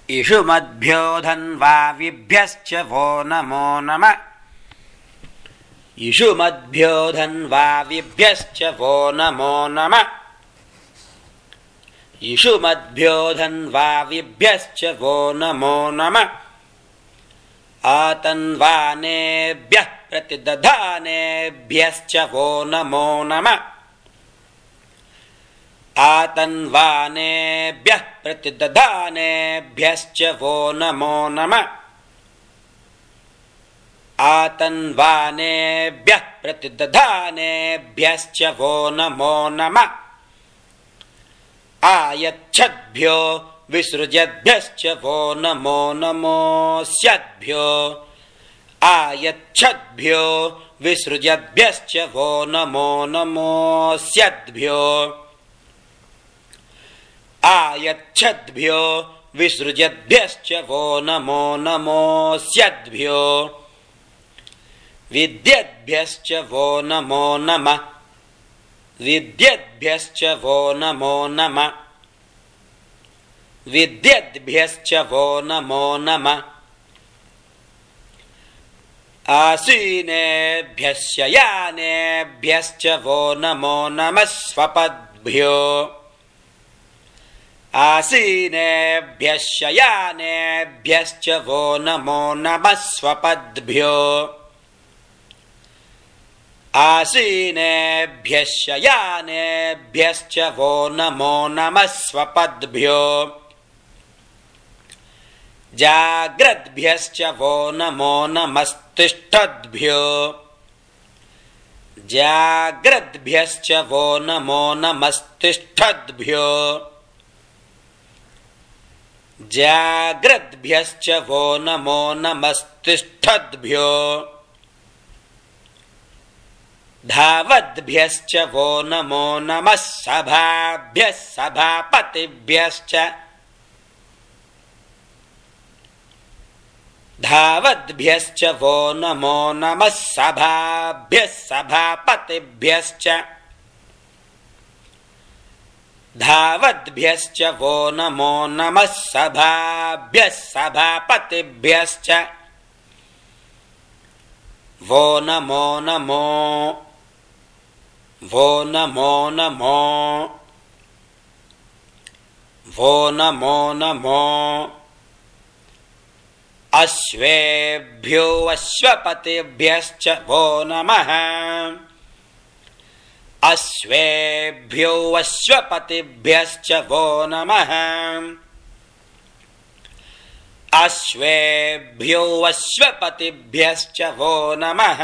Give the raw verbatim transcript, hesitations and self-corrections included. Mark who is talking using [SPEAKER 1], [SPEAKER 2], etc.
[SPEAKER 1] इषुमद्भ्यो धन्वाविभ्यश्च वो नमो नमः इषुमद्भ्यो धन्वाविभ्यश्च वो नमो नमः इषुमद्भ्यो धन्वाविभ्यश्च वो नमो नमः आतन्वानेभ्यः प्रतिदधानेभ्यश्च वो नमो नमः आतन्वानेभ्यः प्रतिदधानेभ्यश्च वो नमो नमः आतन्वानेभ्यः प्रतिदधानेभ्यश्च वो नमो नमः आयच्छद्भ्यो विसृजद्भ्यश्च वो नमो नमोऽस्यद्भ्यो आयच्छद्भ्यो विसृजद्भ्यश्च वो नमो नमोऽस्यद्भ्यो आयच्छद्भ्यो विसृजद्भ्यश्च वो नमो नमोऽस्यद्भ्यो विद्यद्भ्यश्च वो नमो नमः विद्यद्भ्यश्च वो नमो नमः विद्यद्भ्यश्च वो नमो नमः आसीनेभ्यश्च यानेभ्यश्च वो नमो नमः स्वपद्भ्यो आसीनेभ्यश्च यानेभ्यश्च वो नमो नमः स्वपद्भ्यो आसीनेभ्यश्च यानेभ्यश्च वो नमो नमः स्वपद्भ्यो जाग्रद्भ्यश्च वो नमो नमस्तिष्ठद्भ्यो जाग्रद्भ्यश्च वो नमो नमस्तिष्ठद्भ्यो जाग्रद्भ्यश्च वो नमो नमस्तिष्ठद्भ्यो धावद्भ्यश्च वो नमो नमः सभाभ्यः सभापतिभ्यश्च धावद्भ्यश्च वो नमो नमः सभाभ्यः सभापतिभ्यश्च धावद्भ्यश्च वो नमो नमः सभाभ्यः सभापतिभ्यश्च वो नमो नमो वो नमो नमो वो नमो नमो अश्वेभ्यो अश्वपतिभ्यश्च वो नमः अश्वेभ्यो अश्वपतिभ्यश्च वो नमः अश्वेभ्यो अश्वपतिभ्यश्च वो नमः।